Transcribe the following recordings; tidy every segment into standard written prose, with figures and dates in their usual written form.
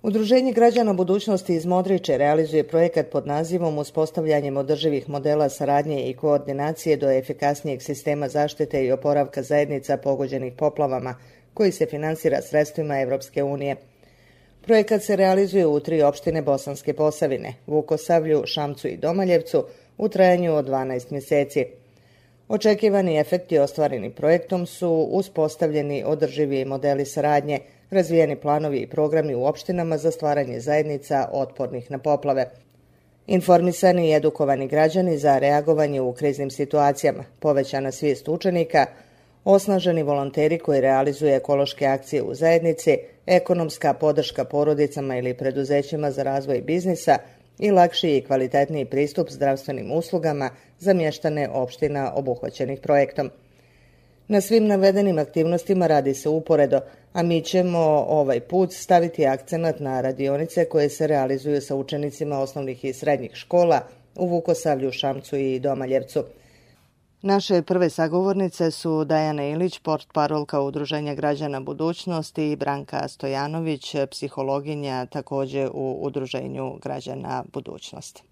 Udruženje građana budućnosti iz Modriče realizuje projekat pod nazivom Uspostavljanjem održivih modela saradnje i koordinacije do efikasnijeg sistema zaštite i oporavka zajednica pogođenih poplavama, koji se finansira sredstvima Evropske unije. Projekat se realizuje u 3 opštine Bosanske Posavine, Vukosavlju, Šamcu i Domaljevcu, u trajanju od 12 mjeseci. Očekivani efekti ostvareni projektom su uspostavljeni održivi modeli saradnje, razvijeni planovi i programi u opštinama za stvaranje zajednica otpornih na poplave, informisani i edukovani građani za reagovanje u kriznim situacijama, povećana svijest učenika, osnaženi volonteri koji realizuju ekološke akcije u zajednici, ekonomska podrška porodicama ili preduzećima za razvoj biznisa i lakši i kvalitetniji pristup zdravstvenim uslugama za mještane opština obuhvaćenih projektom. Na svim navedenim aktivnostima radi se uporedo, a mi ćemo ovaj put staviti akcenat na radionice koje se realizuju sa učenicima osnovnih i srednjih škola u Vukosavlju, Šamcu i Domaljevcu. Naše prve sagovornice su Dajana Ilić, portparolka Udruženja građana budućnosti, i Branka Stojanović, psihologinja također u Udruženju građana budućnosti.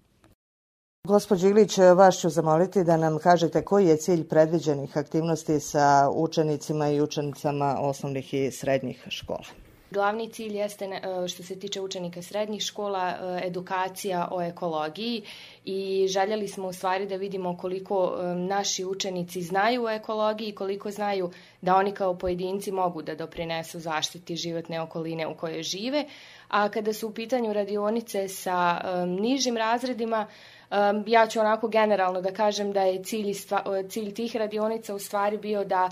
Gospođo Ilić, vas ću zamoliti da nam kažete koji je cilj predviđenih aktivnosti sa učenicima i učenicama osnovnih i srednjih škola. Glavni cilj jeste, što se tiče učenika srednjih škola, edukacija o ekologiji i željeli smo u stvari da vidimo koliko naši učenici znaju o ekologiji i koliko znaju da oni kao pojedinci mogu da doprinesu zaštiti životne okoline u kojoj žive. A kada su u pitanju radionice sa nižim razredima, ja ću onako generalno da kažem da je cilj tih radionica u stvari bio da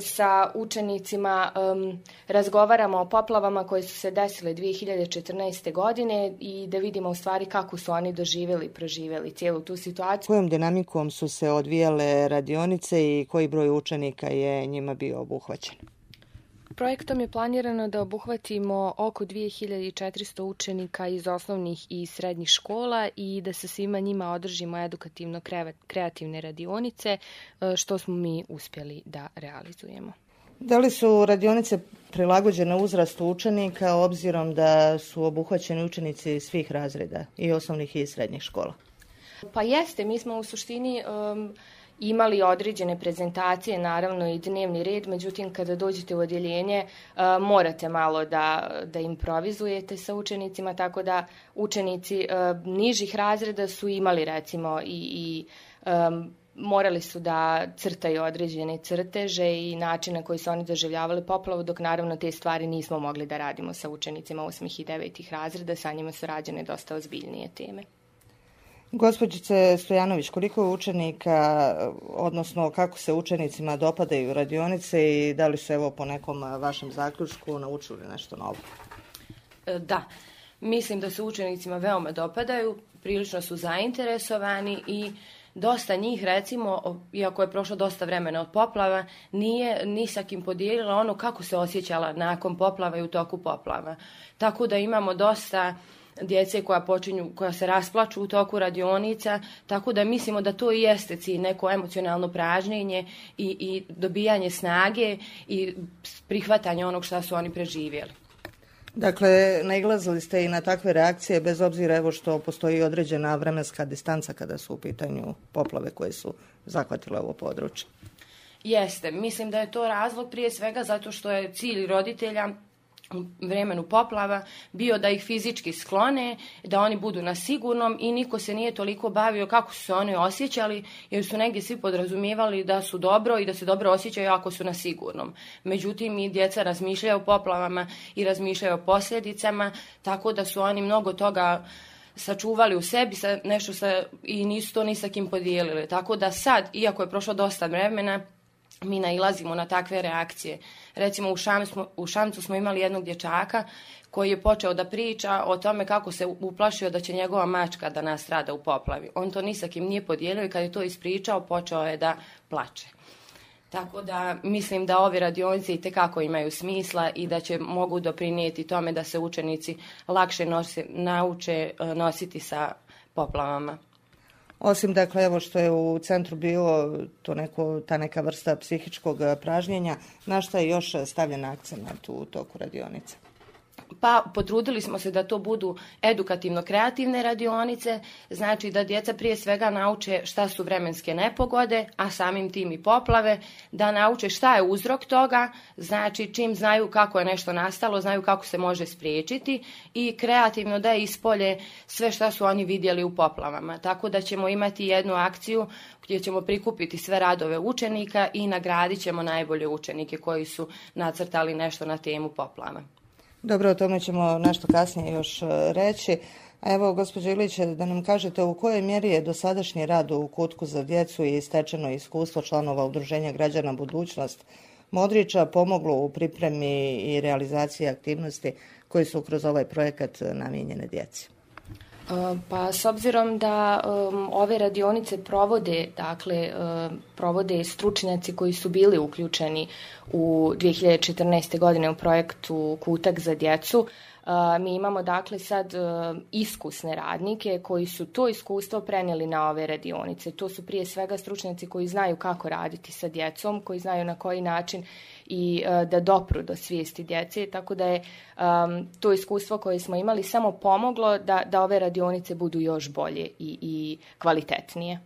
sa učenicima razgovaramo o poplavama koje su se desile 2014. godine i da vidimo u stvari kako su oni proživjeli cijelu tu situaciju. Kojom dinamikom su se odvijale radionice i koji broj učenika je njima bio obuhvaćen? Projektom je planirano da obuhvatimo oko 2400 učenika iz osnovnih i srednjih škola i da sa svima njima održimo edukativno-kreativne radionice, što smo mi uspjeli da realizujemo. Da li su radionice prilagođene uzrastu učenika obzirom da su obuhvaćeni učenici svih razreda i osnovnih i srednjih škola? Pa jeste, mi smo u suštini imali određene prezentacije, naravno i dnevni red, međutim kada dođete u odjeljenje morate malo da improvizujete sa učenicima, tako da učenici nižih razreda su imali recimo i morali su da crtaju određene crteže i način na koji su oni doživljavali poplavu, dok naravno te stvari nismo mogli da radimo sa učenicima 8. i 9. razreda, sa njima su rađene dosta ozbiljnije teme. Gospođice Stojanović, koliko je učenika, odnosno kako se učenicima dopadaju radionice i da li su evo po nekom vašem zaključku naučili nešto novo? Da, mislim da se učenicima veoma dopadaju, prilično su zainteresovani i dosta njih, recimo, iako je prošlo dosta vremena od poplava, nije ni sa kim podijelila ono kako se osjećala nakon poplava i u toku poplava. Tako da imamo dosta djece koja se rasplaču u toku radionica, tako da mislimo da to i jeste cilj, neko emocionalno pražnjenje i dobijanje snage i prihvatanje onog što su oni preživjeli. Dakle, nailazili ste i na takve reakcije bez obzira evo što postoji određena vremenska distanca kada su u pitanju poplave koje su zahvatile ovo područje? Jeste, mislim da je to razlog prije svega zato što je cilj roditelja u vremenu poplava bio da ih fizički sklone, da oni budu na sigurnom i niko se nije toliko bavio kako su se oni osjećali, jer su negdje svi podrazumijevali da su dobro i da se dobro osjećaju ako su na sigurnom. Međutim, i djeca razmišljaju o poplavama i razmišljaju o posljedicama, tako da su oni mnogo toga sačuvali u sebi i nisu to ni sa kim podijelili. Tako da sad, iako je prošlo dosta vremena, mi nailazimo na takve reakcije. Recimo u Šamcu smo imali jednog dječaka koji je počeo da priča o tome kako se uplašio da će njegova mačka da nastrada u poplavi. On to ni sa kim nije podijelio i kad je to ispričao počeo je da plače. Tako da mislim da ove radionice itekako imaju smisla i da mogu doprinijeti tome da se učenici lakše nauče nositi sa poplavama. Osim, dakle, evo što je u centru bilo ta neka vrsta psihičkog pražnjenja, na šta je još stavljen akcenat u toku radionice? Pa potrudili smo se da to budu edukativno-kreativne radionice, znači da djeca prije svega nauče šta su vremenske nepogode, a samim tim i poplave, da nauče šta je uzrok toga, znači čim znaju kako je nešto nastalo, znaju kako se može spriječiti i kreativno da ispolje sve šta su oni vidjeli u poplavama. Tako da ćemo imati jednu akciju gdje ćemo prikupiti sve radove učenika i nagradit ćemo najbolje učenike koji su nacrtali nešto na temu poplava. Dobro, o tome ćemo nešto kasnije još reći. A evo, gospođo Ilić, da nam kažete u kojoj mjeri je dosadašnji rad u Kutku za djecu i stečeno iskustvo članova Udruženja građana Budućnost Modrića pomoglo u pripremi i realizaciji aktivnosti koji su kroz ovaj projekat namijenjene djeci? Pa s obzirom da ove radionice provode stručnjaci koji su bili uključeni u 2014. godine u projektu Kutak za djecu, mi imamo dakle sad iskusne radnike koji su to iskustvo prenijeli na ove radionice. To su prije svega stručnjaci koji znaju kako raditi sa djecom, koji znaju na koji način i da dopru do svijesti djece, tako da je to iskustvo koje smo imali samo pomoglo da ove radionice budu još bolje i kvalitetnije.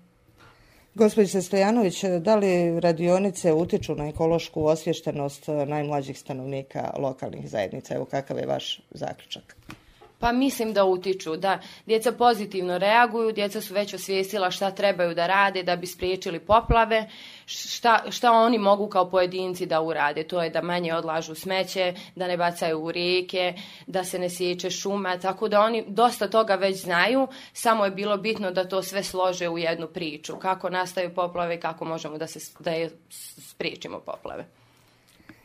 Gospođice Stojanović, da li radionice utiču na ekološku osviještenost najmlađih stanovnika lokalnih zajednica? Evo, kakav je vaš zaključak? Pa mislim da utiču, da djeca pozitivno reaguju, djeca su već osvijestila šta trebaju da rade da bi spriječili poplave, šta oni mogu kao pojedinci da urade. To je da manje odlažu smeće, da ne bacaju u rijeke, da se ne sječe šuma, tako da oni dosta toga već znaju, samo je bilo bitno da to sve slože u jednu priču. Kako nastaju poplave i kako možemo da je spriječimo poplave.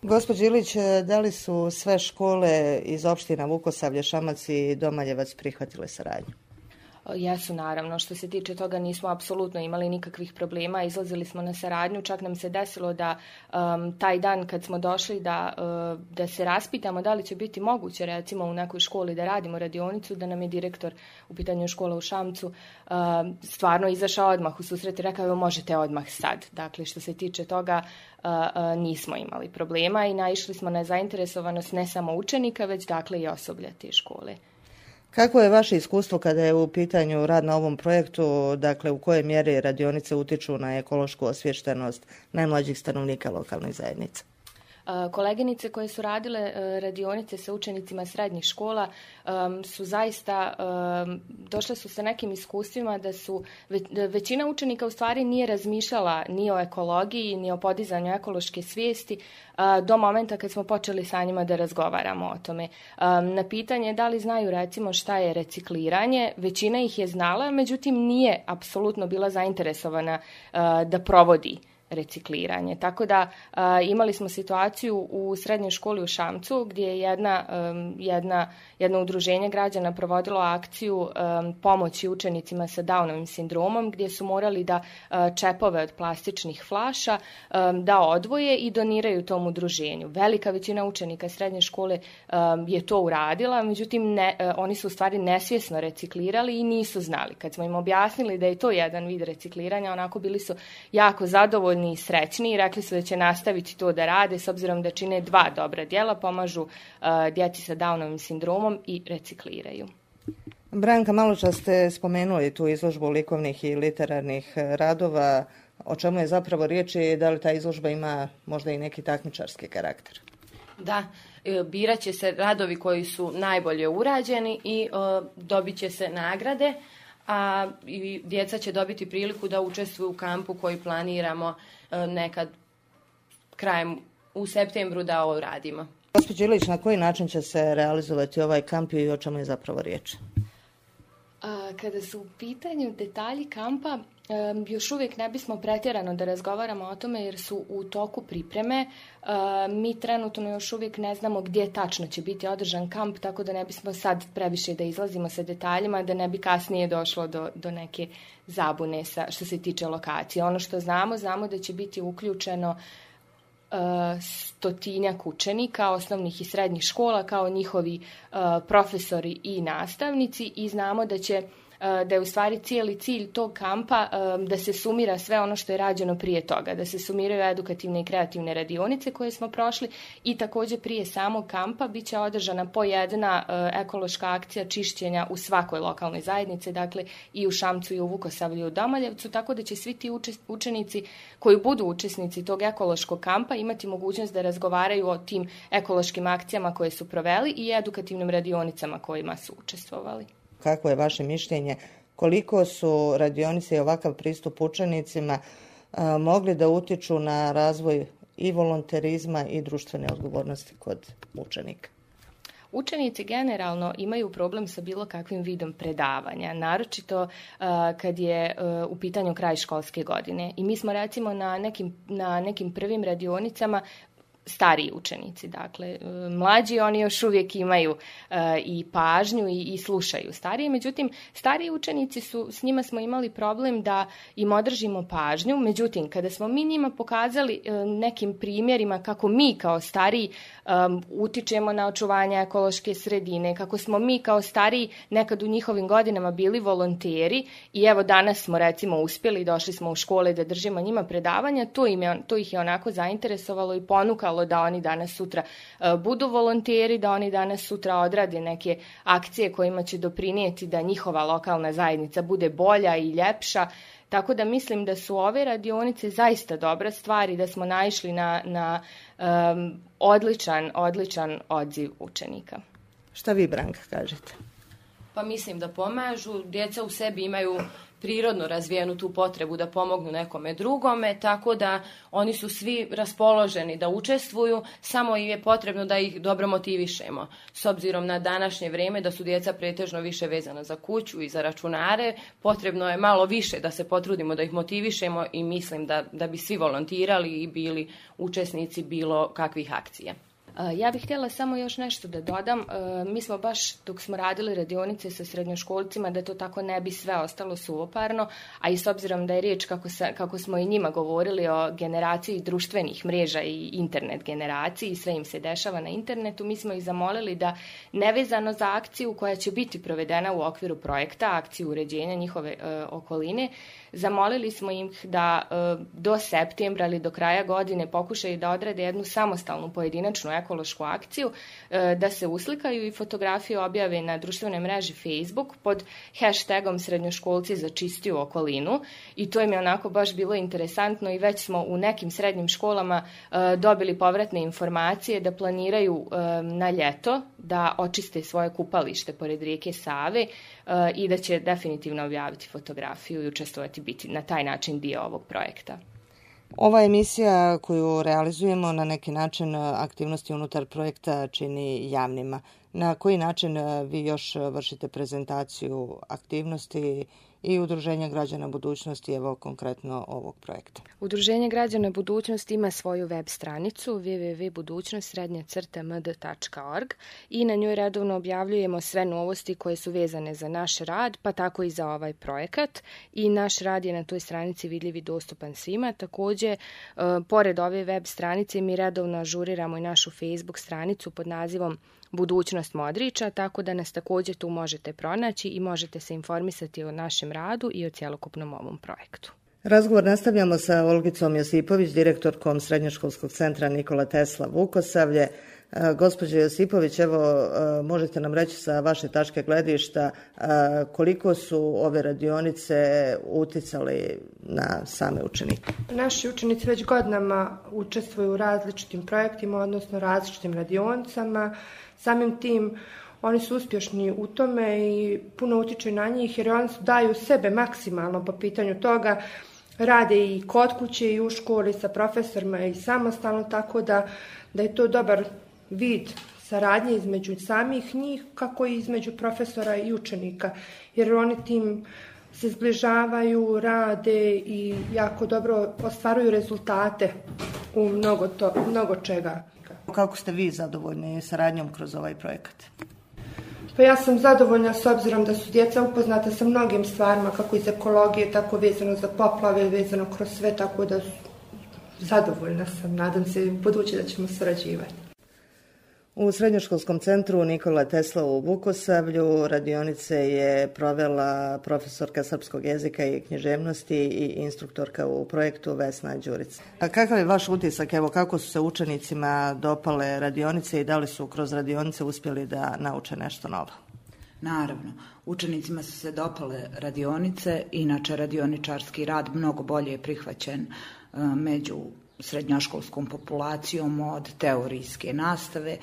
Gospođo Ilić, da li su sve škole iz opština Vukosavlje, Šamac i Domaljevac prihvatile saradnju? Jesu, naravno. Što se tiče toga nismo apsolutno imali nikakvih problema. Izlazili smo na saradnju. Čak nam se desilo da taj dan kad smo došli da se raspitamo da li će biti moguće recimo u nekoj školi da radimo radionicu, da nam je direktor u pitanju škola u Šamcu stvarno izašao odmah u susret i rekao evo možete odmah sad. Dakle, što se tiče toga nismo imali problema i naišli smo na zainteresovanost ne samo učenika, već dakle i osoblja te škole. Kako je vaše iskustvo kada je u pitanju rad na ovom projektu, dakle u kojoj mjeri radionice utiču na ekološku osviještenost najmlađih stanovnika lokalnih zajednica? Koleginice koje su radile radionice sa učenicima srednjih škola su zaista došle su sa nekim iskustvima da su većina učenika u stvari nije razmišljala ni o ekologiji ni o podizanju ekološke svijesti do momenta kad smo počeli sa njima da razgovaramo o tome. Na pitanje da li znaju recimo šta je recikliranje, većina ih je znala, međutim nije apsolutno bila zainteresovana da provodi recikliranje. Tako da imali smo situaciju u srednjoj školi u Šamcu gdje je jedno udruženje građana provodilo akciju pomoći učenicima sa Downovim sindromom gdje su morali da čepove od plastičnih flaša da odvoje i doniraju tom udruženju. Velika većina učenika srednje škole je to uradila, međutim oni su u stvari nesvjesno reciklirali i nisu znali. Kad smo im objasnili da je to jedan vid recikliranja, onako bili su jako zadovoljni i srećni i rekli su da će nastaviti to da rade s obzirom da čine dva dobra djela, pomažu djeci sa Downovim sindromom i recikliraju. Branka, maločas ste spomenuli tu izložbu likovnih i literarnih radova. O čemu je zapravo riječ i da li ta izložba ima možda i neki takmičarski karakter? Da, birat će se radovi koji su najbolje urađeni i dobit će se nagrade, a i djeca će dobiti priliku da učestvuju u kampu koji planiramo nekad krajem u septembru da ovo radimo. Gospođo Ilić, na koji način će se realizovati ovaj kamp i o čemu je zapravo riječ? Kada su u pitanju detalji kampa, još uvijek ne bismo pretjerano da razgovaramo o tome jer su u toku pripreme. Mi trenutno još uvijek ne znamo gdje tačno će biti održan kamp, tako da ne bismo sad previše da izlazimo sa detaljima, da ne bi kasnije došlo do neke zabune što se tiče lokacije. Ono što znamo da će biti uključeno 100 učenika osnovnih i srednjih škola kao njihovi profesori i nastavnici i znamo da će da je u stvari cijeli cilj tog kampa da se sumira sve ono što je rađeno prije toga, da se sumiraju edukativne i kreativne radionice koje smo prošli i također prije samog kampa bit će održana po jedna ekološka akcija čišćenja u svakoj lokalnoj zajednici, dakle i u Šamcu i u Vukosavlju i u Domaljevcu, tako da će svi ti učenici koji budu učesnici tog ekološkog kampa imati mogućnost da razgovaraju o tim ekološkim akcijama koje su proveli i edukativnim radionicama kojima su učestvovali. Kako je vaše mišljenje, koliko su radionice i ovakav pristup učenicima mogli da utiču na razvoj i volonterizma i društvene odgovornosti kod učenika? Učenici generalno imaju problem sa bilo kakvim vidom predavanja, naročito kad je u pitanju kraj školske godine. I mi smo recimo na nekim prvim radionicama stariji učenici, dakle mlađi oni još uvijek imaju i pažnju i slušaju stariji, međutim stariji učenici s njima smo imali problem da im održimo pažnju, međutim kada smo mi njima pokazali nekim primjerima kako mi kao stariji utičemo na očuvanje ekološke sredine, kako smo mi kao stariji nekad u njihovim godinama bili volonteri i evo danas smo recimo uspjeli, došli smo u škole da držimo njima predavanja, to ih je onako zainteresovalo i ponukalo da oni danas sutra budu volonteri, da oni danas sutra odrade neke akcije kojima će doprinijeti da njihova lokalna zajednica bude bolja i ljepša. Tako da mislim da su ove radionice zaista dobra stvar i da smo naišli na odličan odziv učenika. Šta vi, Branka, kažete? Pa mislim da pomažu, djeca u sebi imaju prirodno razvijenu tu potrebu da pomognu nekome drugome, tako da oni su svi raspoloženi da učestvuju, samo im je potrebno da ih dobro motivišemo. S obzirom na današnje vrijeme da su djeca pretežno više vezana za kuću i za računare, potrebno je malo više da se potrudimo da ih motivišemo i mislim da bi svi volontirali i bili učesnici bilo kakvih akcija. Ja bih htjela samo još nešto da dodam. Mi smo baš dok smo radili radionice sa srednjoškolcima da to tako ne bi sve ostalo suvoparno, a i s obzirom da je riječ kako smo i njima govorili o generaciji društvenih mreža i internet generaciji i sve im se dešava na internetu, mi smo ih zamolili da nevezano za akciju koja će biti provedena u okviru projekta, akciju uređenja njihove okoline, zamolili smo ih da do septembra ili do kraja godine pokušaju da odrade jednu samostalnu pojedinačnu ekološku akciju, da se uslikaju i fotografije objave na društvenoj mreži Facebook pod hashtagom srednjoškolci za čistiju okolinu i to im je onako baš bilo interesantno i već smo u nekim srednjim školama dobili povratne informacije da planiraju na ljeto da očiste svoje kupalište pored rijeke Save i da će definitivno objaviti fotografiju i učestvovati, biti na taj način dio ovog projekta. Ova emisija koju realizujemo na neki način aktivnosti unutar projekta čini javnima. Na koji način vi još vršite prezentaciju aktivnosti i Udruženje građana budućnosti, evo konkretno ovog projekta? Udruženje građana budućnosti ima svoju web stranicu www.budućnost_md.org i na njoj redovno objavljujemo sve novosti koje su vezane za naš rad, pa tako i za ovaj projekat. I naš rad je na toj stranici vidljiv i dostupan svima. Također, pored ove web stranice mi redovno ažuriramo i našu Facebook stranicu pod nazivom Budućnost Modrića, tako da nas također tu možete pronaći i možete se informisati o našem radu i o cjelokupnom ovom projektu. Razgovor nastavljamo sa Olgicom Josipović, direktorkom Srednjoškolskog centra Nikola Tesla Vukosavlje. Gospođo Josipović, evo možete nam reći sa vaše tačke gledišta koliko su ove radionice uticali na same učenike? Naši učenici već godinama učestvuju u različitim projektima, odnosno različitim radionicama. Samim tim oni su uspješni u tome i puno utiče na njih jer oni daju sebe maksimalno po pitanju toga. Rade i kod kuće i u školi sa profesorima i samostalno, tako da je to dobar vid saradnje između samih njih kako i između profesora i učenika. Jer oni tim se zbližavaju, rade i jako dobro ostvaruju rezultate u mnogo čega. Kako ste vi zadovoljni saradnjom kroz ovaj projekat? Pa ja sam zadovoljna s obzirom da su djeca upoznata sa mnogim stvarima, kako iz ekologije, tako vezano za poplave, vezano kroz sve, tako da zadovoljna sam. Nadam se u buduće da ćemo surađivati. U Srednjoškolskom centru Nikola Tesla u Vukosavlju radionice je provela profesorka srpskog jezika i književnosti i instruktorka u projektu Vesna Đurić. A kakav je vaš utisak, evo kako su se učenicima dopale radionice i da li su kroz radionice uspjeli da nauče nešto novo? Naravno, učenicima su se dopale radionice, inače radioničarski rad mnogo bolje je prihvaćen među srednjoškolskom populacijom od teorijske nastave.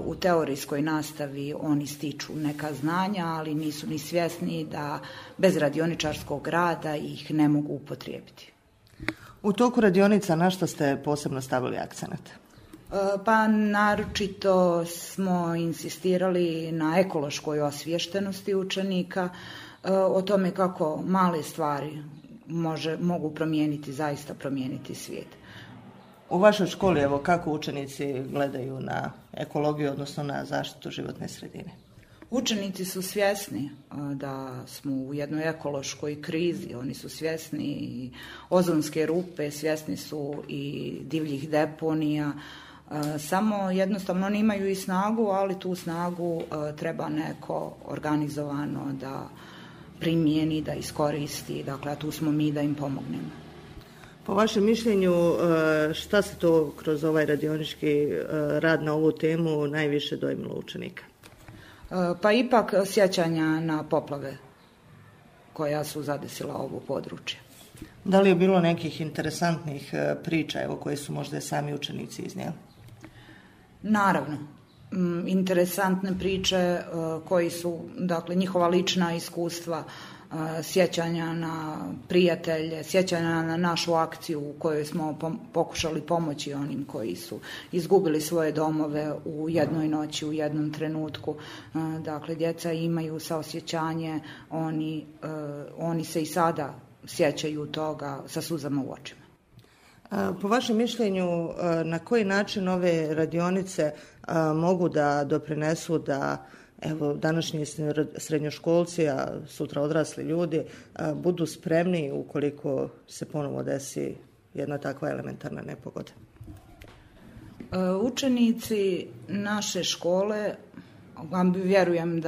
U teorijskoj nastavi oni stiču neka znanja, ali nisu ni svjesni da bez radioničarskog rada ih ne mogu upotrijebiti. U toku radionica na što ste posebno stavili akcenat? Pa naročito smo insistirali na ekološkoj osviještenosti učenika, o tome kako male stvari mogu zaista promijeniti svijet. U vašoj školi, evo, kako učenici gledaju na ekologiju, odnosno na zaštitu životne sredine? Učenici su svjesni da smo u jednoj ekološkoj krizi, oni su svjesni i ozonske rupe, svjesni su i divljih deponija, samo jednostavno oni imaju i snagu, ali tu snagu treba neko organizovano da primijeni, da iskoristi, dakle, a tu smo mi da im pomognemo. Po vašem mišljenju, šta se to kroz ovaj radionički rad na ovu temu najviše dojmilo učenika? Pa ipak sjećanja na poplave koja su zadesila ovo područje. Da li je bilo nekih interesantnih priča, evo, koje su možda sami učenici iznijeli? Naravno. Interesantne priče koji su, dakle, njihova lična iskustva, sjećanja na prijatelje, sjećanja na našu akciju u kojoj smo pokušali pomoći onim koji su izgubili svoje domove u jednoj noći, u jednom trenutku. Dakle, djeca imaju saosjećanje, oni se i sada sjećaju toga sa suzama u očima. Po vašem mišljenju, na koji način ove radionice mogu da doprinesu da, evo, današnji srednjoškolci, a sutra odrasli ljudi, budu spremni ukoliko se ponovo desi jedna takva elementarna nepogoda? Učenici naše škole, vjerujem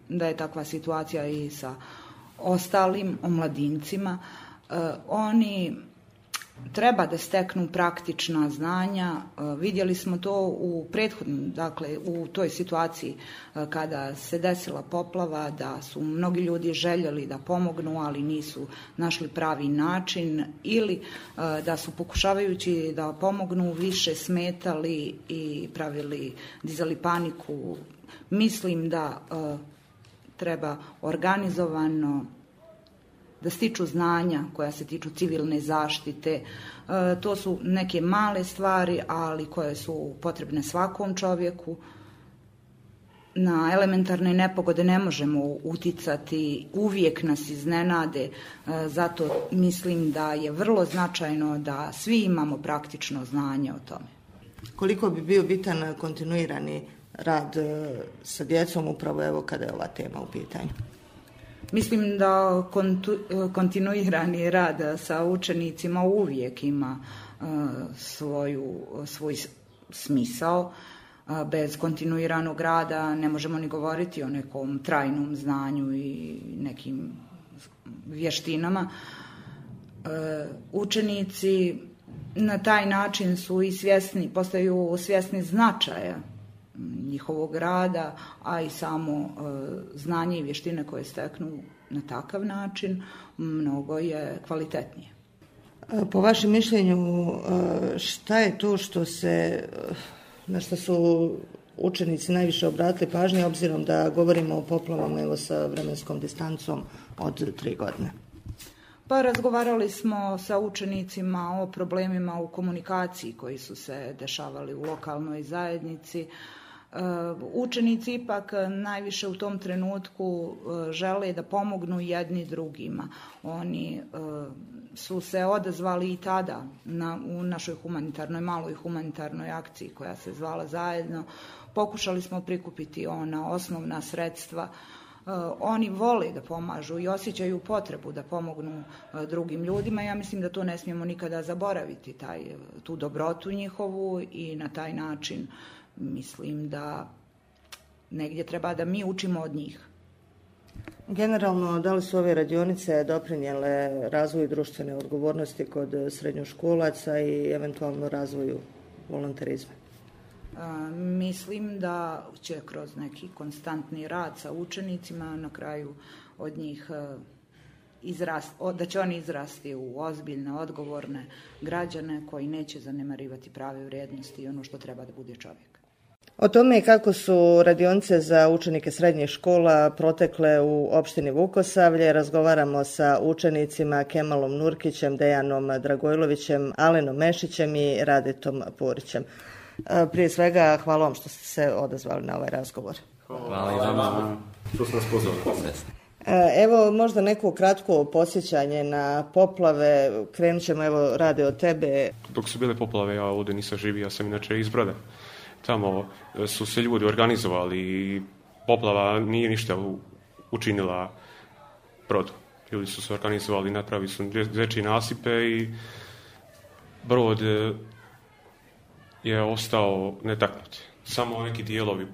da je takva situacija i sa ostalim omladincima, oni treba da steknu praktična znanja. Vidjeli smo to u prethodnim, dakle u toj situaciji kada se desila poplava, da su mnogi ljudi željeli da pomognu, ali nisu našli pravi način, ili da su pokušavajući da pomognu više smetali i dizali paniku. Mislim da treba organizovano da stiču znanja koja se tiču civilne zaštite. To su neke male stvari, ali koje su potrebne svakom čovjeku. Na elementarne nepogode ne možemo uticati, uvijek nas iznenade, zato mislim da je vrlo značajno da svi imamo praktično znanje o tome. Koliko bi bio bitan kontinuirani rad sa djecom upravo evo kada je ova tema u pitanju? Mislim da kontinuirani rad sa učenicima uvijek ima svoj smisao. Bez kontinuiranog rada ne možemo ni govoriti o nekom trajnom znanju i nekim vještinama. Učenici na taj način su i postaju svjesni značaja njihovog rada, a i samo znanje i vještine koje steknu na takav način mnogo je kvalitetnije. Po vašem mišljenju, šta je to na što su učenici najviše obratili pažnje, obzirom da govorimo o poplavama evo sa vremenskom distancom od 3 godine? Pa razgovarali smo sa učenicima o problemima u komunikaciji koji su se dešavali u lokalnoj zajednici. Učenici ipak najviše u tom trenutku žele da pomognu jedni drugima. Oni su se odazvali i tada u našoj maloj humanitarnoj akciji koja se zvala Zajedno. Pokušali smo prikupiti ona osnovna sredstva. Oni vole da pomažu i osjećaju potrebu da pomognu drugim ljudima. Ja mislim da to ne smijemo nikada zaboraviti, tu dobrotu njihovu, i na taj način mislim da negdje treba da mi učimo od njih. Generalno, da li su ove radionice doprinijele razvoju društvene odgovornosti kod srednjoškolaca i eventualno razvoju volonterizma? Mislim da će kroz neki konstantni rad sa učenicima na kraju od njih da će oni izrasti u ozbiljne, odgovorne građane koji neće zanemarivati prave vrijednosti i ono što treba da bude čovjek. O tome kako su radionice za učenike srednjih škola protekle u opštini Vukosavlje razgovaramo sa učenicima Kemalom Nurkićem, Dejanom Dragojlovićem, Alenom Mešićem i Radetom Purićem. Prije svega, hvala vam što ste se odazvali na ovaj razgovor. Hvala i vama što ste nas pozvali. Evo možda neko kratko posjećanje na poplave. Krenut ćemo, evo, Rade, od tebe. Dok su bile poplave, ja ovdje nisam živio, ja sam inače iz Broda. Tamo su se ljudi organizovali i poplava nije ništa učinila Brodu. Ljudi su se organizovali, napravili su dječje nasipe i Brod je ostao netaknut. Samo neki dijelovi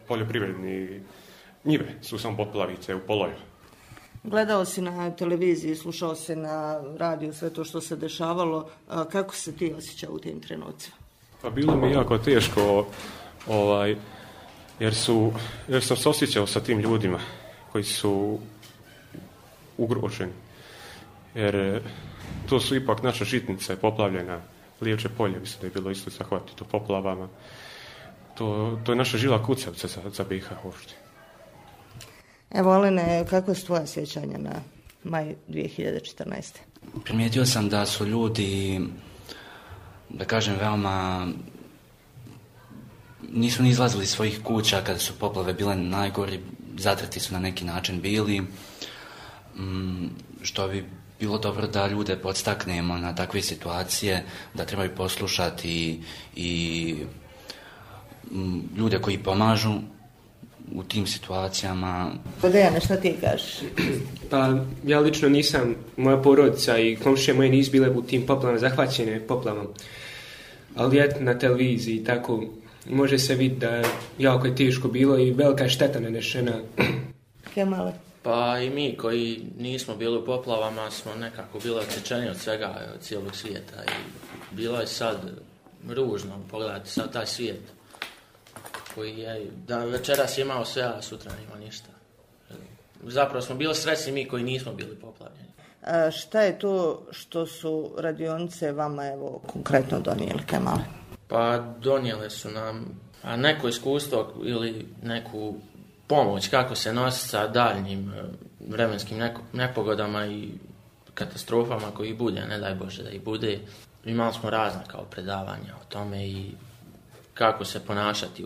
poljoprivredni njive su samo poplavice u poloju. Gledao si na televiziji, slušao si na radiju sve to što se dešavalo. Kako se ti osjećao u tim trenucima? Pa bilo mi jako teško, jer sam se osjećao sa tim ljudima koji su ugroženi. Jer to su ipak naša žitnica poplavljena, Lijevče polje, mislim da je bilo isto zahvatito poplavama. To je naša žila kucavca za BiH uopšte. Evo, Alene, kako je tvoja sjećanja na maj 2014. Primijetio sam da su ljudi, da kažem, veoma nisu ni izlazili iz svojih kuća kada su poplave bile najgori, zatrti su na neki način bili, što bi bilo dobro da ljude podstaknemo na takve situacije, da trebaju poslušati i ljude koji pomažu u tim situacijama. Dejane, šta ti kažeš? Pa ja lično nisam, moja porodica i komšije moje nisu bile u tim poplavama, zahvaćene poplavom. Ali eto, na televiziji tako može se vidjeti da jako je teško bilo i velika je šteta nanešena. Kemale? Pa i mi koji nismo bili u poplavama smo nekako bili odsječeni od svega, od cijelog svijeta. I bilo je sad ružno pogledati sad taj svijet koji je, da večeras je imao sve, a sutra nema ništa. Zapravo smo bili sretni mi koji nismo bili poplavljeni. Šta je to što su radionice vama, evo, konkretno donijeli, Kemale? Pa donijele su nam neko iskustvo ili neku pomoć kako se nositi sa daljnjim vremenskim nepogodama i katastrofama koji bude, ne daj Bože da ih bude. Imali smo razne kao predavanja o tome i kako se ponašati,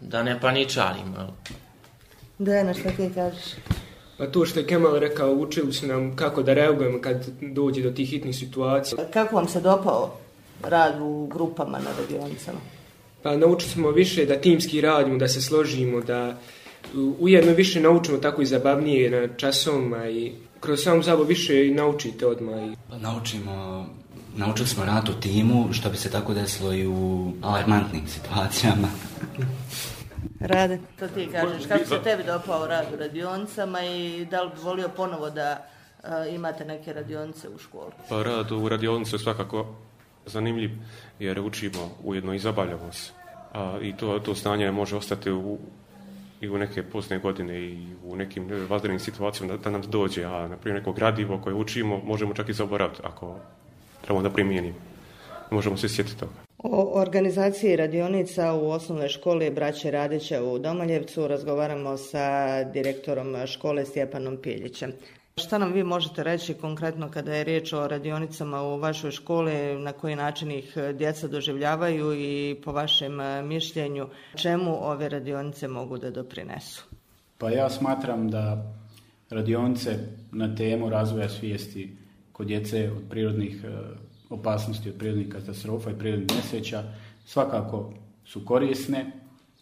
da ne paničarimo. Dejana, šta ti kažeš? Pa to što je Kemal rekao, učili su nam kako da reagujemo kad dođe do tih hitnih situacija. Kako vam se dopao rad u grupama na radionicama? Pa naučili smo više da timski radimo, da se složimo, da ujedno više naučimo tako i zabavnije na časovima i kroz samu zabavu više i naučite odmah. Pa naučili smo rad u timu, što bi se tako desilo i u alarmantnim situacijama. Rade, to ti kažeš, kako se tebi dopao rad u radionicama i da li bi volio ponovo da imate neke radionice u školi? Pa rad u radionicu je svakako zanimljiv jer učimo, ujedno i zabavljamo se. I to stanje može ostati i u neke pozne godine i u nekim vanrednim situacijama da nam dođe, a na primjer neko gradivo koje učimo možemo čak i zaboraviti ako trebamo da primijenimo. Možemo se sjetiti toga. O organizaciji radionica u osnovnoj školi Braće Radića u Domaljevcu razgovaramo sa direktorom škole Stjepanom Piljićem. Šta nam vi možete reći konkretno kada je riječ o radionicama u vašoj školi, na koji način ih djeca doživljavaju i po vašem mišljenju čemu ove radionice mogu da doprinesu? Pa ja smatram da radionice na temu razvoja svijesti kod djece od prirodnih opasnosti, od prirodnih katastrofa i prirodnih nesreća svakako su korisne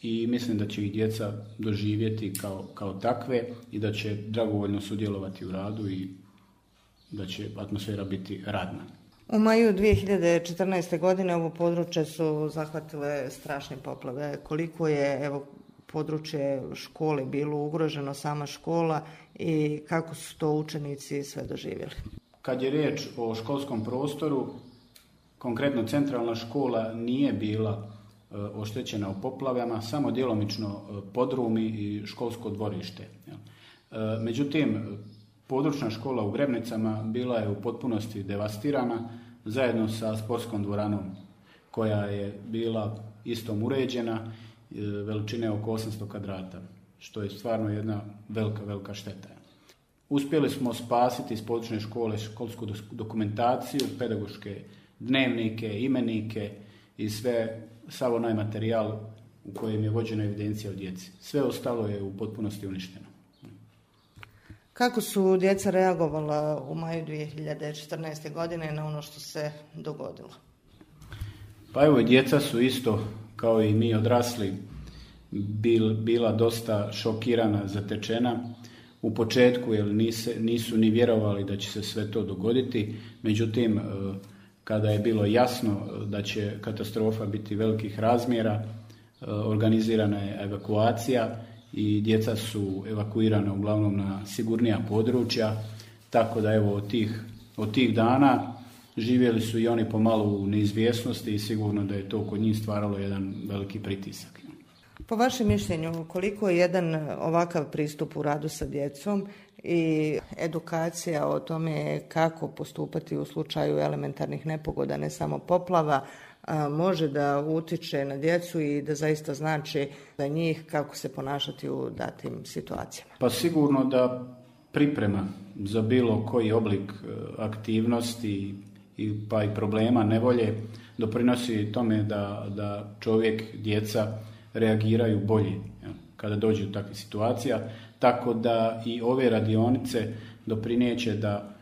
i mislim da će ih djeca doživjeti kao takve i da će dragovoljno sudjelovati u radu i da će atmosfera biti radna. U maju 2014. godine ovo područje su zahvatile strašne poplave. Koliko je područje škole bilo ugroženo, sama škola, i kako su to učenici sve doživjeli? Kad je riječ o školskom prostoru, konkretno centralna škola nije bila oštećena u poplavama, samo djelomično podrumi i školsko dvorište. Međutim, područna škola u Grebnicama bila je u potpunosti devastirana zajedno sa sportskom dvoranom koja je bila istom uređena, veličine oko 800 kvadrata, što je stvarno jedna velika šteta. Uspjeli smo spasiti iz područne škole školsku dokumentaciju, pedagoške dnevnike, imenike i sav onaj materijal u kojem je vođena evidencija o djeci. Sve ostalo je u potpunosti uništeno. Kako su djeca reagovala u maju 2014. godine na ono što se dogodilo? Pa evo, djeca su isto kao i mi odrasli bila dosta šokirana, zatečena. U početku jer nisu ni vjerovali da će se sve to dogoditi, međutim kada je bilo jasno da će katastrofa biti velikih razmjera, organizirana je evakuacija i djeca su evakuirana uglavnom na sigurnija područja, tako da evo od tih dana živjeli su i oni pomalo u neizvjesnosti i sigurno da je to kod njih stvaralo jedan veliki pritisak. Po vašem mišljenju, koliko je jedan ovakav pristup u radu sa djecom i edukacija o tome kako postupati u slučaju elementarnih nepogoda, ne samo poplava, može da utiče na djecu i da zaista znači za njih kako se ponašati u datim situacijama? Pa sigurno da priprema za bilo koji oblik aktivnosti pa i problema, nevolje, doprinosi tome da čovjek, djeca reagiraju bolje kada dođe do takvih situacija, tako da i ove radionice doprinijeće da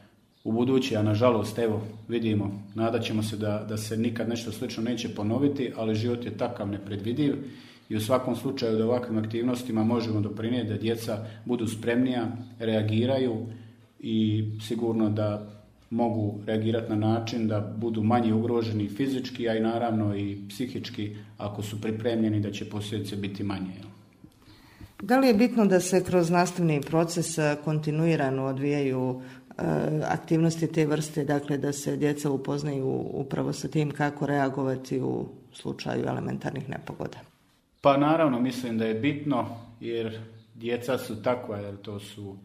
u budući, a nažalost evo vidimo, nadat ćemo se da se nikad nešto slično neće ponoviti, ali život je takav nepredvidiv i u svakom slučaju da ovakvim aktivnostima možemo doprinijeti da djeca budu spremnija, reagiraju i sigurno da mogu reagirati na način da budu manje ugroženi fizički, a i naravno i psihički ako su pripremljeni da će posljedice biti manje. Da li je bitno da se kroz nastavni proces kontinuirano odvijaju aktivnosti te vrste, dakle da se djeca upoznaju upravo sa tim kako reagovati u slučaju elementarnih nepogoda? Pa naravno mislim da je bitno jer djeca su takva, jer to su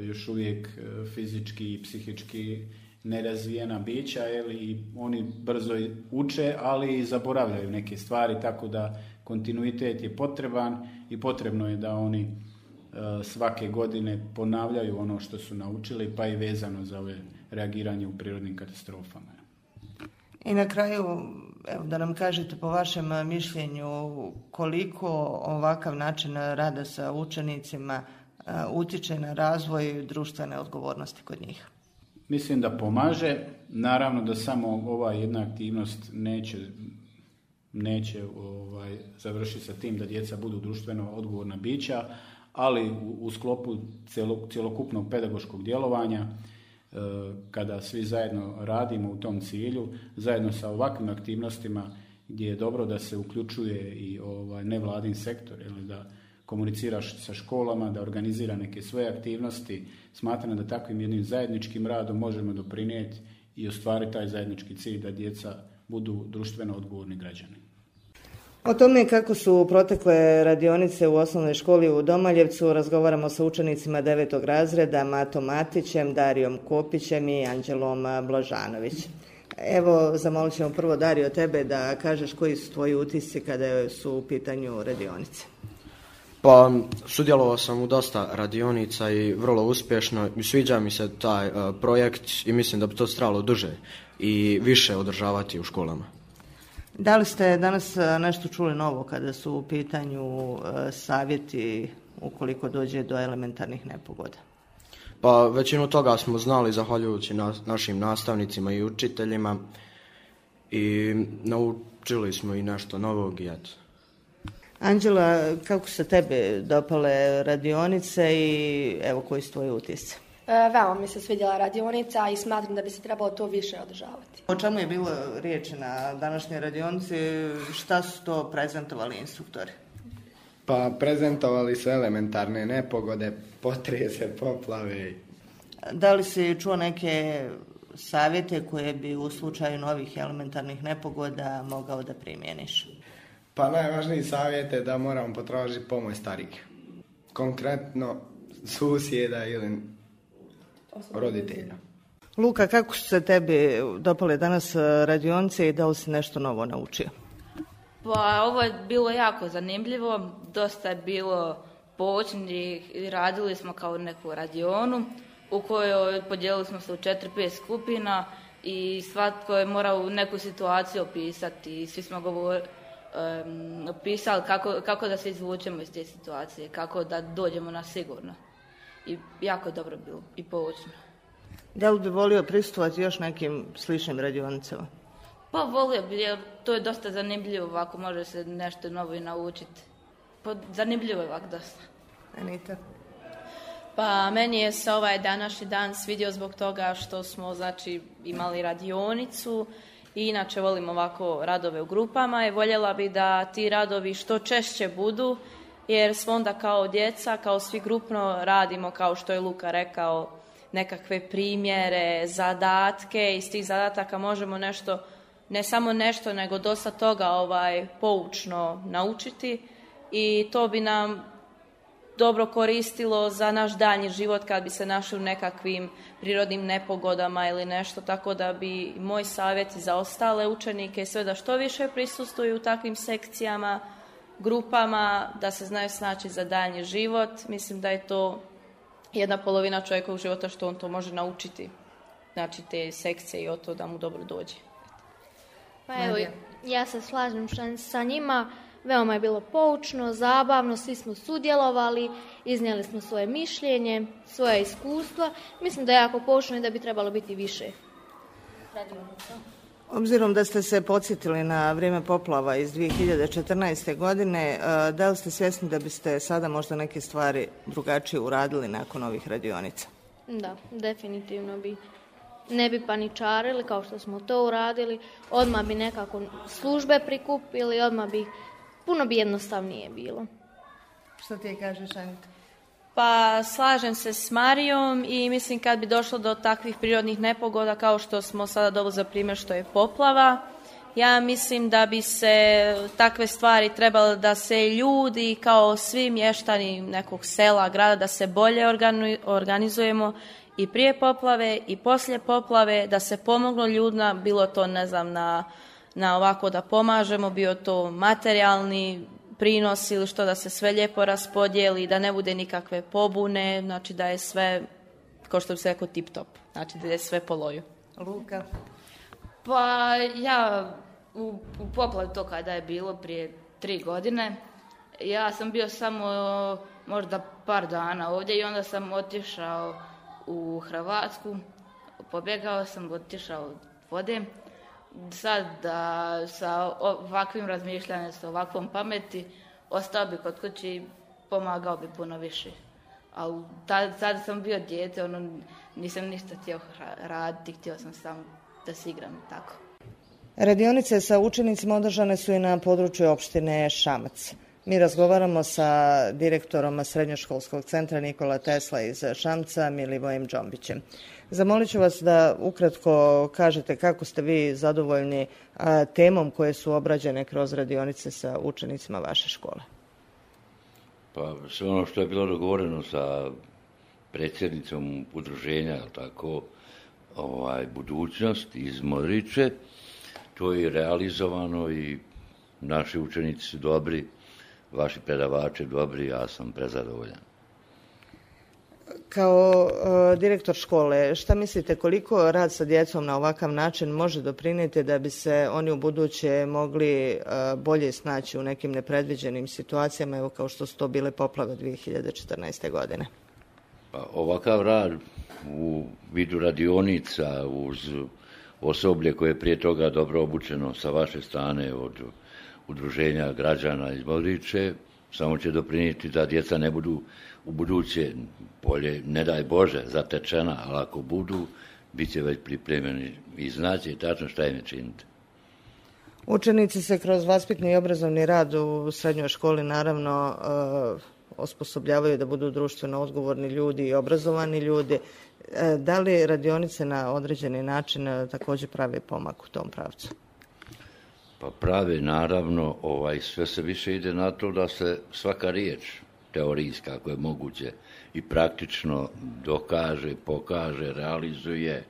još uvijek fizički i psihički nerazvijena bića, i oni brzo uče, ali i zaboravljaju neke stvari, tako da kontinuitet je potreban i potrebno je da oni svake godine ponavljaju ono što su naučili, pa i vezano za ove reagiranje u prirodnim katastrofama. I na kraju, evo, da nam kažete po vašem mišljenju koliko ovakav način rada sa učenicima utiče na razvoj društvene odgovornosti kod njih? Mislim da pomaže. Naravno da samo ova jedna aktivnost neće završiti sa tim da djeca budu društveno odgovorna bića, ali u sklopu cjelokupnog pedagoškog djelovanja, kada svi zajedno radimo u tom cilju, zajedno sa ovakvim aktivnostima gdje je dobro da se uključuje i nevladin sektor, da komuniciraš sa školama, da organizira neke svoje aktivnosti, smatram da takvim jednim zajedničkim radom možemo doprinijeti i ostvariti taj zajednički cilj da djeca budu društveno odgovorni građani. O tome kako su protekle radionice u osnovnoj školi u Domaljevcu razgovaramo sa učenicima 9. razreda Matom Matićem, Darijom Kopićem i Anđelom Blažanović. Evo, zamolit ćemo prvo Dario tebe da kažeš koji su tvoji utisci kada su u pitanju radionice. Pa, sudjelovao sam u dosta radionica i vrlo uspješno. Sviđa mi se taj projekt i mislim da bi to trebalo duže i više održavati u školama. Da li ste danas nešto čuli novo kada su u pitanju savjeti ukoliko dođe do elementarnih nepogoda? Pa većinu toga smo znali zahvaljujući našim nastavnicima i učiteljima i naučili smo i nešto novog i eto. Anđela, kako su tebe dopale radionice i evo koji su tvoji utisci? Veoma mi se svidjela radionica i smatram da bi se trebalo to više održavati. O čemu je bilo riječi na današnjoj radionici? Šta su to prezentovali instruktori? Pa prezentovali su elementarne nepogode, potrese, poplave. Da li si čuo neke savjete koje bi u slučaju novih elementarnih nepogoda mogao da primjeniš? Pa najvažniji savjet je da moramo potražiti pomoć starijih. Konkretno susjeda ili roditelja. Luka, kako su se tebi dopale danas radionice i da li si nešto novo naučio? Pa ovo je bilo jako zanimljivo, dosta je bilo poučnih i radili smo kao neku radionu u kojoj podijelili smo se u 4-5 skupina i svatko je morao neku situaciju opisati i svi smo opisali kako da se izvučemo iz te situacije, kako da dođemo na sigurno. I jako je dobro bilo i poučno. Da li bi volio prisustvovati još nekim sličnim radionicama? Pa volio bi, jer to je dosta zanimljivo, ovako može se nešto novo i naučiti. Pa zanimljivo je ovako dosta. Anita? Pa meni je se ovaj današnji dan svidio zbog toga što smo imali radionicu i inače volim ovako radove u grupama i voljela bi da ti radovi što češće budu, jer smo onda kao djeca, kao svi grupno radimo, kao što je Luka rekao, nekakve primjere, zadatke. Iz tih zadataka možemo nešto, ne samo nešto, nego dosta toga poučno naučiti i to bi nam dobro koristilo za naš daljnji život kad bi se našli u nekakvim prirodnim nepogodama ili nešto, tako da bi moj savjet za ostale učenike sve da što više prisustvuju u takvim sekcijama, grupama, da se znaju snaći za daljnji život. Mislim da je to jedna polovina čovjekovog života što on to može naučiti. Znači te sekcije i o to da mu dobro dođe. Pa evo, ja se slažem sa njima. Veoma je bilo poučno, zabavno, svi smo sudjelovali, iznijeli smo svoje mišljenje, svoje iskustva. Mislim da je jako poučno i da bi trebalo biti više radionica. Obzirom da ste se podsjetili na vrijeme poplava iz 2014. godine, da li ste svjesni da biste sada možda neke stvari drugačije uradili nakon ovih radionica? Da, definitivno bi. Ne bi paničarili kao što smo to uradili, odmah bi nekako službe prikupili, puno bi jednostavnije bilo. Što ti kažeš, Anita? Pa slažem se s Marijom i mislim kad bi došlo do takvih prirodnih nepogoda kao što smo sada dobili za primjer što je poplava, ja mislim da bi se takve stvari trebalo da se ljudi kao svi mještani nekog sela, grada, da se bolje organizujemo i prije poplave i poslije poplave, da se pomoglo ljudima, bilo to na ovako da pomažemo, bio to materijalni prinos ili što, da se sve lijepo raspodijeli, da ne bude nikakve pobune, znači da je sve, kao što bi se rekao, tip top, znači da je sve po loju. Luka? Pa ja u poplavi to kada je bilo prije 3 godine, ja sam bio samo možda par dana ovdje i onda sam otišao u Hrvatsku, pobjegao sam, otišao od vode. Sad da sa ovakvim razmišljanjem, sa ovakvom pameti, ostao bi kod kući i pomagao bi puno više. Ali tada sam bio dijete, nisam ništa htio raditi, htio sam samo da se igram i tako. Radionice sa učenicima održane su i na području opštine Šamac. Mi razgovaramo sa direktorom Srednjoškolskog centra Nikola Tesla iz Šamca, Milivojem Džombićem. Zamolit ću vas da ukratko kažete kako ste vi zadovoljni temom koje su obrađene kroz radionice sa učenicima vaše škole. Pa sve ono što je bilo dogovoreno sa predsjednicom udruženja, tako, budućnost iz Modriče, to je realizovano i naši učenici su dobri, vaši predavači dobri, ja sam prezadovoljan. Kao direktor škole, šta mislite koliko rad sa djecom na ovakav način može doprinijeti da bi se oni u buduće mogli bolje snaći u nekim nepredviđenim situacijama, evo kao što su to bile poplave 2014. godine? Pa, ovakav rad u vidu radionica uz osoblje koje je prije toga dobro obučeno sa vaše strane od udruženja građana iz Modriče samo će doprinijeti da djeca ne budu u buduće bolje, ne daj Bože, zatečena, ali ako budu, bit će već pripremljeni i znaće tačno šta im je činiti. Učenici se kroz vaspitni i obrazovni rad u srednjoj školi naravno osposobljavaju da budu društveno odgovorni ljudi i obrazovani ljudi. Da li radionice na određeni način također prave pomak u tom pravcu? Pa prave, naravno, sve se više ide na to da se svaka riječ teorijska, ako je moguće, i praktično dokaže, pokaže, realizuje,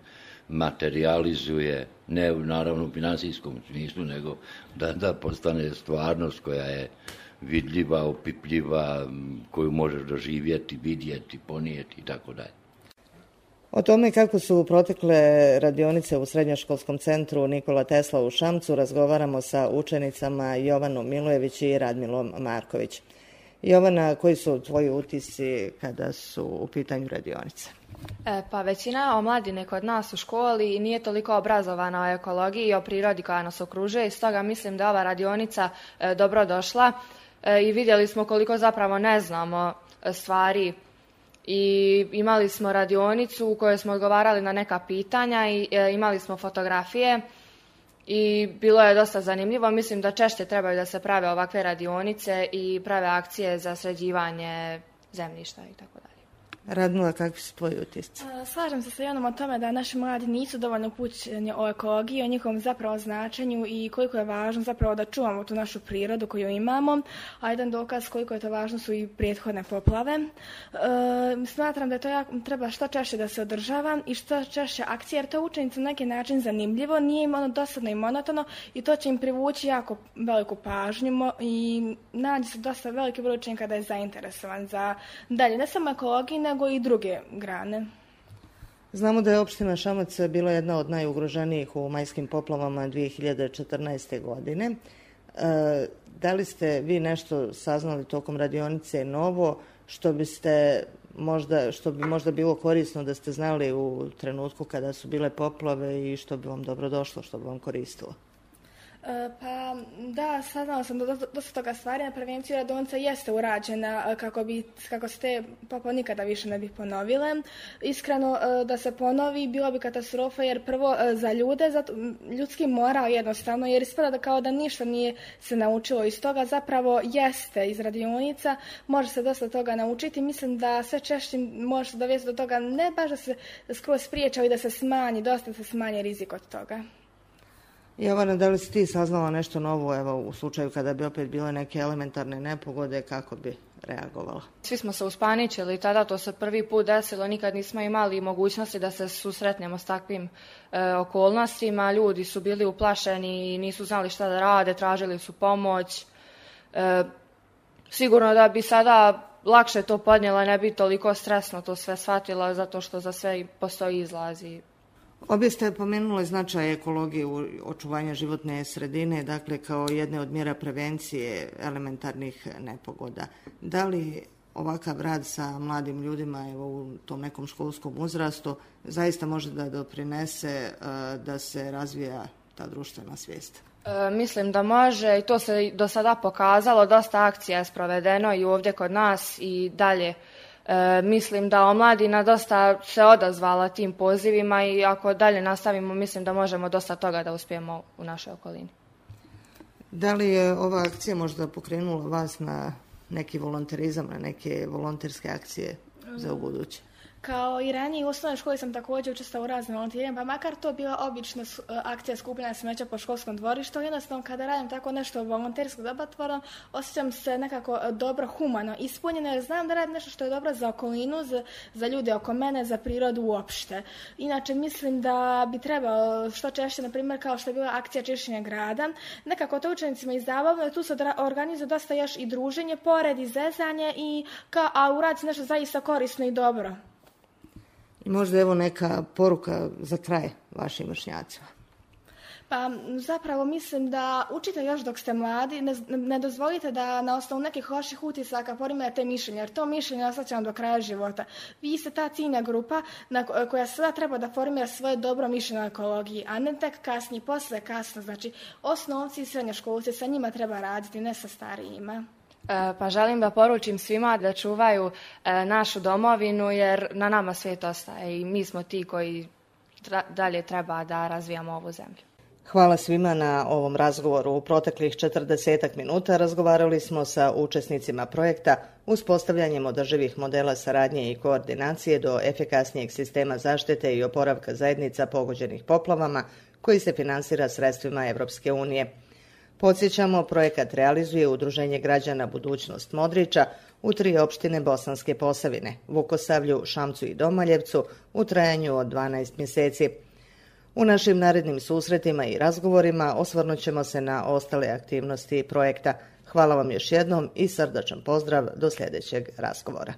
materializuje, ne naravno u financijskom smislu, nego da postane stvarnost koja je vidljiva, opipljiva, koju možeš doživjeti, vidjeti, ponijeti i tako dalje. O tome kako su protekle radionice u Srednjoškolskom centru Nikola Tesla u Šamcu razgovaramo sa učenicama Jovanom Milojević i Radmilom Marković. Jovana, koji su tvoji utisci kada su u pitanju radionice? Pa većina omladine kod nas u školi nije toliko obrazovana o ekologiji i o prirodi koja nas okružuje, i stoga mislim da ova radionica dobro došla i vidjeli smo koliko zapravo ne znamo stvari. I imali smo radionicu u kojoj smo odgovarali na neka pitanja i imali smo fotografije i bilo je dosta zanimljivo. Mislim da češće trebaju da se prave ovakve radionice i prave akcije za sređivanje zemljišta i tako dalje. Radmila, kakvi su tvoji utisci? Slažem se sa Jonom o tome da naši mladi nisu dovoljno upućeni o ekologiji, o njihovom zapravo značenju i koliko je važno zapravo da čuvamo tu našu prirodu koju imamo, a jedan dokaz koliko je to važno su i prethodne poplave. Smatram da to treba što češće da se održava i što češće akcije, jer to učenici na neki način zanimljivo, nije im ono dosadno i monotono i to će im privući jako veliku pažnju i nađe se dosta veliki broj učenika da je zainteresovan za dalje, ne samo ekologiji, nego i druge grane. Znamo da je opština Šamac bila jedna od najugroženijih u majskim poplavama 2014. godine. Da li ste vi nešto saznali tokom radionice novo što bi možda bilo korisno da ste znali u trenutku kada su bile poplave i što bi vam dobro došlo, što bi vam koristilo? Pa da, saznala sam da dosta toga stvari. Na prevenciju radionica jeste urađena kako se te poplave nikada više ne bi ponovile. Iskreno da se ponovi bilo bi katastrofa, jer prvo za ljude, za ljudski moral jednostavno, jer ispada da kao da ništa nije se naučilo iz toga, zapravo jeste iz radionica, može se dosta toga naučiti. Mislim da sve češće može se dovesti do toga, ne baš da se skroz spriječi, ali da se smanji, dosta se smanji rizik od toga. Jovana, da li si ti saznala nešto novo, evo, u slučaju kada bi opet bile neke elementarne nepogode, kako bi reagovala? Svi smo se uspaničili tada, to se prvi put desilo, nikad nismo imali mogućnosti da se susretnemo s takvim okolnostima. Ljudi su bili uplašeni i nisu znali šta da rade, tražili su pomoć. Sigurno da bi sada lakše to podnijela, ne bi toliko stresno to sve shvatila, zato što za sve postoji izlazi. Obje ste pomenuli značaj ekologije u očuvanju životne sredine, dakle kao jedne od mjera prevencije elementarnih nepogoda. Da li ovakav rad sa mladim ljudima u tom nekom školskom uzrastu zaista može da doprinese da se razvija ta društvena svijest? Mislim da može i to se do sada pokazalo, dosta akcija je sprovedeno i ovdje kod nas i dalje. Mislim da omladina dosta se odazvala tim pozivima i ako dalje nastavimo, mislim da možemo dosta toga da uspijemo u našoj okolini. Da li je ova akcija možda pokrenula vas na neki volonterizam, na neke volonterske akcije za ubuduće? Kao i ranije u osnovnoj školi sam također učestvovala u raznim volontiranjima, pa makar to bila obična akcija skupljanja smeća po školskom dvorištu, jednostavno kada radim tako nešto volontersko dobrotvorno, osjećam se nekako dobro, humano ispunjeno, jer znam da radim nešto što je dobro za okolinu, za ljude oko mene, za prirodu uopšte. Inače, mislim da bi trebalo što češće, na primjer, kao što je bila akcija čišćenja grada, nekako to učenicima izdavamo, tu se organizuje dosta još i druženje, pored i zezanje, a uradi se nešto zaista korisno i dobro. I možda evo neka poruka za kraj vašim vršnjacima. Pa zapravo mislim da učite još dok ste mladi, ne dozvolite da na osnovu nekih loših utisaka formirate mišljenje, jer to mišljenje ostaće vam do kraja života. Vi ste ta ciljna grupa koja sada treba da formira svoje dobro mišljenje o ekologiji, a ne tek kasnije, posle kasno. Znači, osnovci i srednjoškolci, sa njima treba raditi, ne sa starijima. Pa želim da poručim svima da čuvaju našu domovinu jer na nama svijet ostaje i mi smo ti koji dalje treba da razvijamo ovu zemlju. Hvala svima na ovom razgovoru. U proteklih 40 minuta razgovarali smo sa učesnicima projekta uspostavljanjem održivih modela saradnje i koordinacije do efikasnijeg sistema zaštite i oporavka zajednica pogođenih poplavama koji se finansira sredstvima Evropske unije. Podsjećamo, projekat realizuje Udruženje građana Budućnost Modriča u 3 opštine Bosanske Posavine, Vukosavlju, Šamcu i Domaljevcu u trajanju od 12 mjeseci. U našim narednim susretima i razgovorima osvrnut ćemo se na ostale aktivnosti projekta. Hvala vam još jednom i srdačan pozdrav do sljedećeg razgovora.